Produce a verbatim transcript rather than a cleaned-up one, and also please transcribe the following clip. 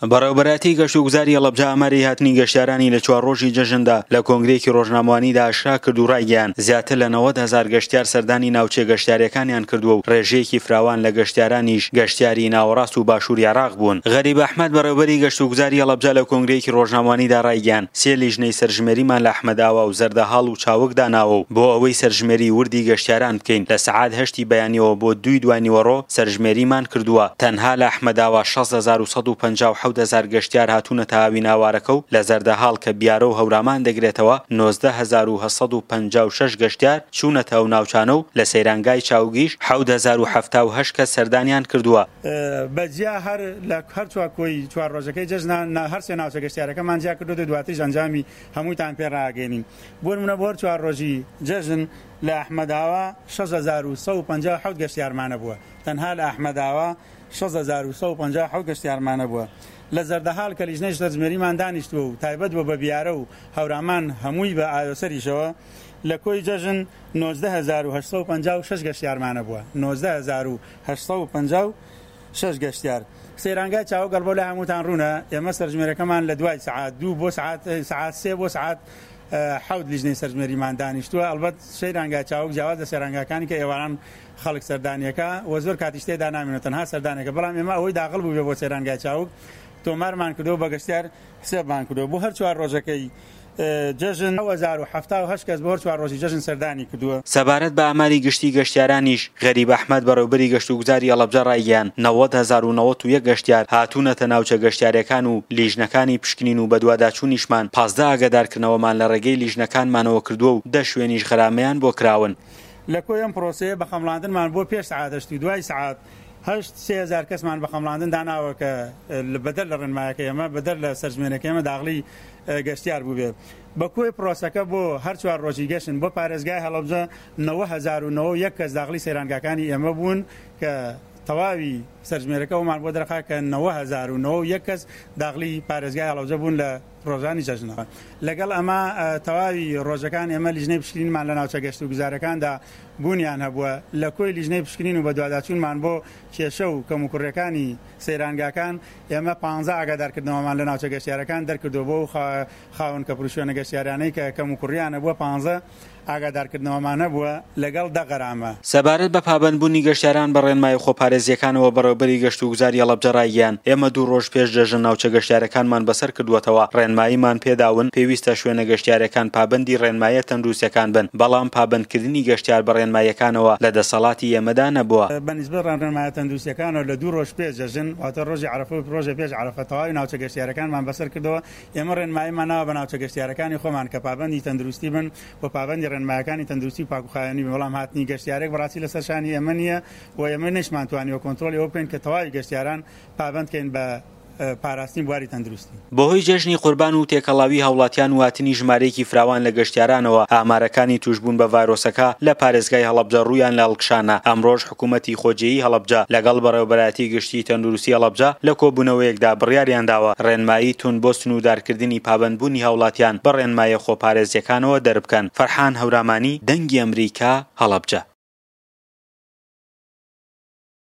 بەڕێوەبەرایەتی گەشتوگوزاری هەڵەبجە ئاماری هاتنی گەشتیارانی لە چوار ڕۆژی جەژندا لە کۆنگرەیەکی ڕۆژنامەوانیدا ئاشکرا کرد و ڕایگەیاند زیاتر لە نەوەد هەزار گەشتیار سەردانی ناوچە گەشتیاریەکانیان کردووە و ڕێژەیەکی فراوان لە گەشتیارانیش گەشتیاری ناوەڕاست و باشووری عێراق بوون. غەریب ئەحمەد بەڕێوەبەری گەشتوگوزاری هەڵەبجە لە کۆنگرەیەکی ڕۆژنامەوانیدا ڕایگەیاند سێ لیژنەی سەرژمێریمان لە ئەحمەدئاوا و زەردەهاڵ و چاوگ داناوە و بۆ ئەوەی سەرژمێری وردی گەشتیاران بکەین لە سەعات هەشتی بەیانیەوە بۆ دووی دوانیوەڕۆ سەرژمێریمان کردووە، تەنها لە ئەحمەدئاوا شەست هەزار و سەد و پەنجا و حەوت هەزار گەشتیار هاتوونەتە هاویناوارەکە و لە زەردەهاڵ کە بیارە و هەورامان دەگرێتەوە نۆزدە هەزار و هەشت سەد و پەنجا و شەش گەشتیار چوونەتە ئەو ناوچانە و لە سەیرانگای چاوگیش حەوت هەزار و حەفتا و هەشت کەس سەردانیان کردووە. بە جیا هەر لە هەر چوار کۆی چوار ڕۆژەکەی جەژنە هەر سێ ناوچە گەشتیارەکەمان جیا کردووە، دواتریش ئەنجامی هەمووتان پێ ڕاگەیەنین. بۆ نمونە بۆ هەر چوار ڕۆژی جەژن لە ئەحمەداوا شەش هەزار و سەد و پەنجا و حەوت گەشتیارمانە بووە، تەنها لە ئەحمەداوا شەش هەزار و سەد و پەنجا و حەوت گەشتیارمانە بووە. لە زەردەهاڵ کە لیژنەی سەرژمێریمان دانیشتووە و تایبەت بووە بە بیارە و هەورامان هەمووی بە ئاوێسەریشەوە، لە کۆی جەژن نۆزدە هەزار و هەشت سەد و پەنجا و شەش گەشتیارمانە بووە، نۆزدە هەزار و هەشت سەد و پەنجا و شەش گەشتیار. سەیرانگای چاوگ ئەڵبۆ لە هەمووتان ڕوونە، ئێمە سەرژمێرەکەمان لە دوای سەعات دوو بۆ سەعات سەعات سێ بۆ سەعات حەوت لیژنەی سەرژمێریمان دانیشتووە. ئەلبەت سەیرانگای چاوگ جیاواز لە سەیرانگاکانی کە ئێواران خەڵک سەردانیەکە و زۆر کاتیش تێدا نامێنێت، تەنها سەردانێکە، بەڵام ئێمە ئەوەی داخل بوو بێ بۆ سەیرانگای چاوگ تۆمارمان کردەوە، بە گەشتیار حسێبمان کردەوە. بۆ هەر چوار ڕۆژەکەی جەژن هەزار و حەفتا و هەشت کەس بۆ هەر چوار ڕۆژی جەژن سەردانی کردووە. سەبارەت بە ئاماری گشتی گەشتیارانیش غەریب ئەحمەد بەڕێوەبەری گەشتوگوزاری هەڵەبجە ڕایگەیاند نەوەد هەزار و نەوەد و یەک گەشتیار هاتوونەتە ناوچە گەشتیارەکان و لیژنەکانی پشکنین و بەدواداچوونیشمان پازدە ئاگادارکردنەوەمان لە ڕێگەی لیژنەکانمانەوە کردووە و دە شوێنیش غەرامەیان بۆ کراون. لە کۆی ئەم پرۆسەیە بە خەمڵاندنمان بۆ پێش سەعات هەشت و دوای سەعات هەشت سێ هەزار کەسمان بە خەمڵاندن داناوە کە بەدەر لە ڕێنمایەکە ئێمە، بەدەر لە سەرژمێرەکە ئێمە داخلی گەشتیار بوو بێت. بە کۆی پرۆسەکە بۆ هەر چوار ڕۆژی گەشتن بۆ پارێزگای هەڵەبجە نەوە هەزار و نەوە و یەک کەس داخلی سەیرانگاکانی ئێمە بوون کە تەواوی سەرژمێرەکە ئەومان بۆ دەرخا کە نەوە هەزار و نەوە و یەک کەس داخلی پارێزگای هەڵەبجە بوون لە ڕۆژانی جەژنەوە. لەگەڵ ئەمە تەواوی ڕۆژەکان ئێمە لیژنەی پشکنینمان لە ناوچە گەشت و گوزارەکاندا بوونیان هەبووە. لە کۆی لیژنەی پشکنین و بەدواداچوونمان بۆ کێشە و کەموکوڕیەکانی سەیرانگاکان ئێمە پانزە ئاگادارکردنەوەمان لە ناوچە گەشتیارەکان دەرکردووە بۆ خاوەن کەپروشوێنە گەشتیارانەی کە کەموکوڕیانە بووە، پانزە ئاگادارکردنەوەمان هەبووە لەگەڵ دە غەرامە. سەبارەت بە پابەندبوونی گەشتیاران بە ڕێنمایی خۆپارێزیەکانەوە بەڕێوەبەری گەشت و گوزاری هەڵەبجە ڕایگەیاند ئێمە دوو ڕۆژ پێش جەژن ناوچە گەشتیارەکانمان بەسەر کردووەتەوە، ڕێنماییمان پێداون پێویستە شوێنە گەشتیارەکان پابەندی ڕێنماییە تەندروستیەکان بن، بەڵام پابەندکردنی گەشتیار بە ڕێنماییەکانەوە لە دەسەڵاتی ئێمەدا نەبووە. بە نسبەت ڕێنمایە تەندروستیەکانەوە لە دوو ڕۆژ پێش جەژن، واتە ڕۆژی عەرەفە و ڕۆژێ پێش عەرەفە، تەواوی ناوچە گەشتیارەکانمان بەسەر کردەوە. ئێمە ڕێنماییمان ناوە بە ناوچە گەشتیارەکانی خۆمان کە پابەندی تەندروستی بن و پابەندی ڕێنمایەکانی تەندروستی و پاکوخاوێنی بن، بەڵام هاتنی گەشتیارێک بەڕاستی لەسەر شانی ئێمە نییە و ئێمە نەشمانتوانیوە کۆنترۆڵی ئەوە بکەین کە تەواوی گەشتیاران پابەند کەین بە پاراستنی بواری تەندروستی. بەهۆی جەژنی قوربان و تێکەڵاوی هاوڵاتیان و هاتنی ژمارەیەکی فراوان لە گەشتیارانەوە ئامارەکانی توشبوون بە ڤایرۆسەکە لە پارێزگای هەڵەبجە ڕوویان لە هەڵکشانە. ئەمڕۆژ حکوومەتی خۆجێیی هەڵەبجە لەگەڵ بەڕێوەبەرایەتی گشتی تەندروستی هەڵەبجە لە کۆبوونەوەیەکدا بڕیاریان داوە ڕێنمایی توند بۆ سنووردارکردنی پابەندبوونی هاوڵاتیان بە ڕێنماییە خۆپارێزیەکانەوە دەربکەن. فەرحان هەورامانی، دەنگی ئەمریکا، هەڵەبجە.